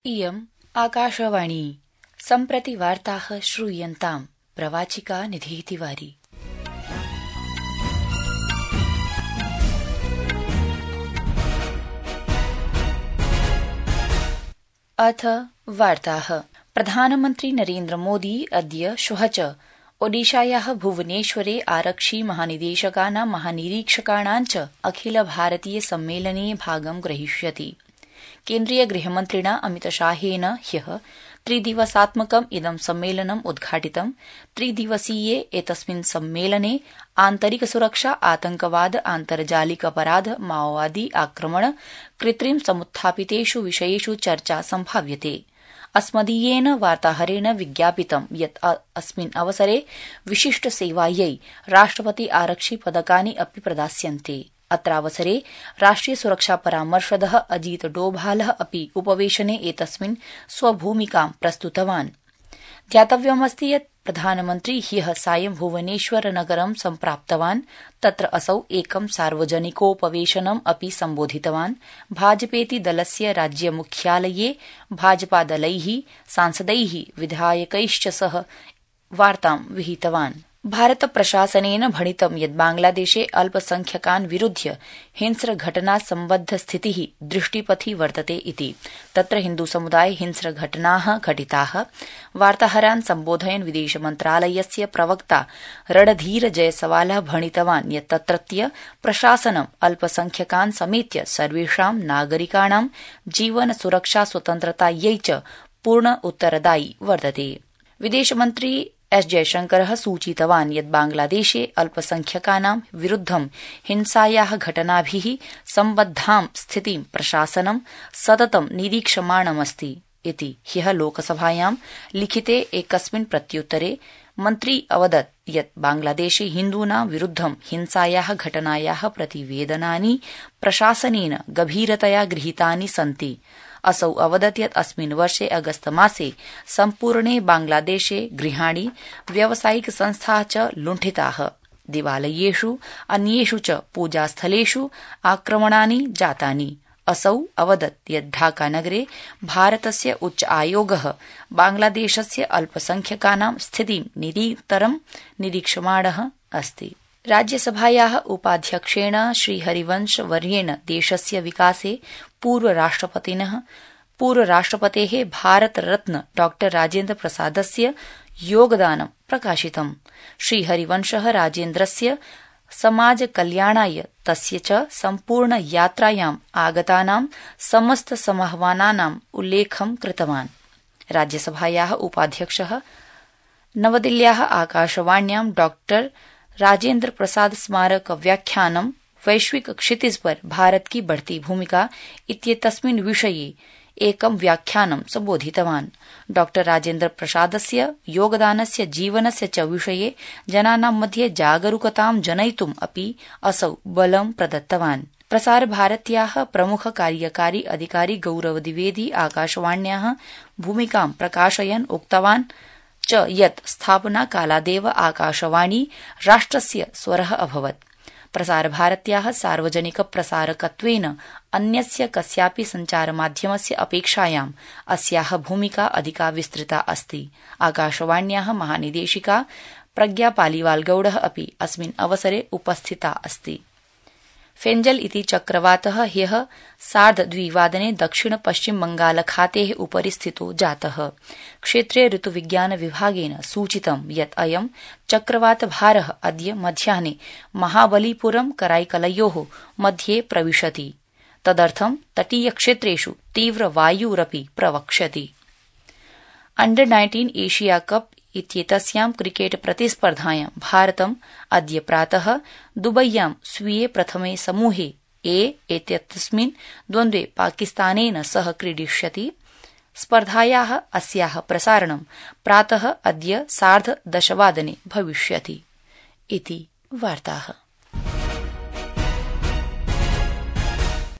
इयम् आकाशवाणी सम्प्रति वार्ताः श्रूयन्ताम् प्रवाचिका निधिः तिवारी। अथ वार्ताः। प्रधानमन्त्री नरेन्द्र मोदी अद्य श्वः च ओडिशायाः भुवनेश्वरे आरक्षि महानिदेशकानां महानिरीक्षकाणां च अखिल भारतीय सम्मेलने भागं ग्रहीष्यति। केन्द्रीय गृहमन्त्रिणा अमितशाहेन ह्यः त्रिदिवसात्मकम् इदं सम्मेलनम् उद्घाटितम्। त्रिदिवसीये एतस्मिन् सम्मेलने आन्तरिक सुरक्षा, आतंकवाद, आन्तर्जालिक अपराध, माओवादी आक्रमण, कृत्रिम समुत्थापितेषु विषयेषु चर्चा सम्भाव्यते। अस्मदीयेन वार्ताहरेण विज्ञापितं यत् अस्मिन् अवसरे विशिष्ट सेवायै राष्ट्रपति आरक्षि पदकानि अपि प्रदास्यन्ते। अत्रावसरे राष्ट्रिय सुरक्षा परामर्शदः अजीत डोभालः अपि उपवेशने एतस्मिन् स्वभूमिकां प्रस्तुतवान्। ध्यातव्यमस्ति यत् प्रधानमन्त्री ह्यः सायं भुवनेश्वर नगरं सम्प्राप्तवान्। तत्र असौ एकं सार्वजनिकोपवेशनम् अपि सम्बोधितवान्। भाजपेति दलस्य राज्यमुख्यालये भाजपादलैः, सांसदैः, विधायकैश्च सह वार्तां विहितवान्। भारत प्रशासनेन भणितं यत् बांग्लादेशे अल्पसंख्यकान् विरुध्य हिंस्रघटना सम्बद्ध स्थितिः दृष्टिपथि वर्तते इति। तत्र हिन्दुसमुदाये हिंस्रघटनाः घटिताः। वार्ताहरान् सम्बोधयन् विदेशमन्त्रालयस्य प्रवक्ता रणधीर जयसवालः भणितवान् यत् तत्रत्य प्रशासनं अल्पसंख्यकान् समेत्य सर्वेषां नागरिकाणां जीवन सुरक्षा स्वतन्त्रतायै च पूर्ण उत्तरदायी वर्तते। विदेशमन्त्री एस जयशंकरः सूचितवान् यत् बांग्लादेशे अल्पसंख्यकानां विरुद्धं हिंसायाः घटनाभिः सम्बद्धां स्थितिं प्रशासनं सततं निरीक्षमाणमस्ति इति। ह्यः लोकसभायां लिखिते एकस्मिन् प्रत्युत्तरे मन्त्री अवदत् यत् बांग्लादेशे हिन्दूनां विरुद्धं हिंसायाः घटनायाः प्रतिवेदनानि प्रशासनेन गभीरतया गृहीतानि सन्ति। असौ अवदत् यत् अस्मिन् वर्षे अगस्तमासे सम्पूर्णे बांग्लादेशे गृहाणि, व्यावसायिक संस्थाः च लुण्ठिताः। देवालयेषु, अन्येषु च पूजास्थलेषु आक्रमणानि जातानि। असौ अवदत् यत् ढाकानगरे भारतस्य उच्च आयोगः बांग्लादेशस्य अल्पसंख्यकानां स्थितिं निरन्तरं निरीक्षमाणः अस्ति। राज्यसभायाः उपाध्यक्षेण श्रीहरिवंशवर्येण देशस्य विकासे पूर्वराष्ट्रपतेः भारतरत्न डॉ राजेन्द्र प्रसादस्य योगदानं प्रकाशितम्। श्रीहरिवंशः राजेन्द्रस्य समाजकल्याणाय तस्य च सम्पूर्ण यात्रायाम् आगतानां समस्त समाह्वानानाम् उल्लेखं कृतवान्। राज्यसभायाः उपाध्यक्षः नवदिल्ल्याः आकाशवाण्यां डॉ राजेन्द्र प्रसाद स्मारक व्याख्यानं वैश्विक क्षितिज पर भारत की बढ़ती भूमिका इत्येतस्मिन् विषये एकं व्याख्यानं सम्बोधितवान्। डॉ राजेन्द्र प्रसादस्य योगदानस्य जीवनस्य च विषये जनानां मध्ये जागरूकतां जनयितुम् अपि असौ बलं प्रदत्तवान्। प्रसारभारत्याः प्रमुख कार्यकारी अधिकारी गौरव द्विवेदी आकाशवाण्याः भूमिकां प्रकाशयन् उक्तवान् च यत् स्थापनाकालादेव आकाशवाणी राष्ट्रस्य स्वरः अभवत्। प्रसारभारत्याः सार्वजनिक प्रसारकत्वेन अन्यस्य कस्यापि सञ्चारमाध्यमस्य अपेक्षायाम् अस्याः भूमिका अधिका विस्तृता अस्ति। आकाशवाण्याः महानिदेशिका प्रज्ञा पालिवालगौडः अपि अस्मिन् अवसरे उपस्थिता अस्ति। फेंजल इति चक्रवातः ह्यः 2:30 दक्षिण पश्चिम बंगालखातेः उपरि स्थितो जातः। क्षेत्रीय ऋतुविज्ञान विभागेन सूचितं यत् अयं चक्रवातभारः अद्य मध्याह्ने महाबलीपुरं कराईकलयोः मध्ये प्रविशति। तदर्थं तटीयक्षेत्रेषु तीव्रवायुरपि प्रवक्ष्यति। अंडर-19 एशिया कप इत्येतस्यां क्रिकेट प्रतिस्पर्धायां भारतम् अद्य प्रातः दुबय्यां स्वीये प्रथमे समूहे ए इत्यस्मिन् द्वन्द्वे पाकिस्तानेन सह क्रीडिष्यति। स्पर्धायाः अस्याः प्रसारणं प्रातः अद्य 10:30 भविष्यति इति वार्ताः।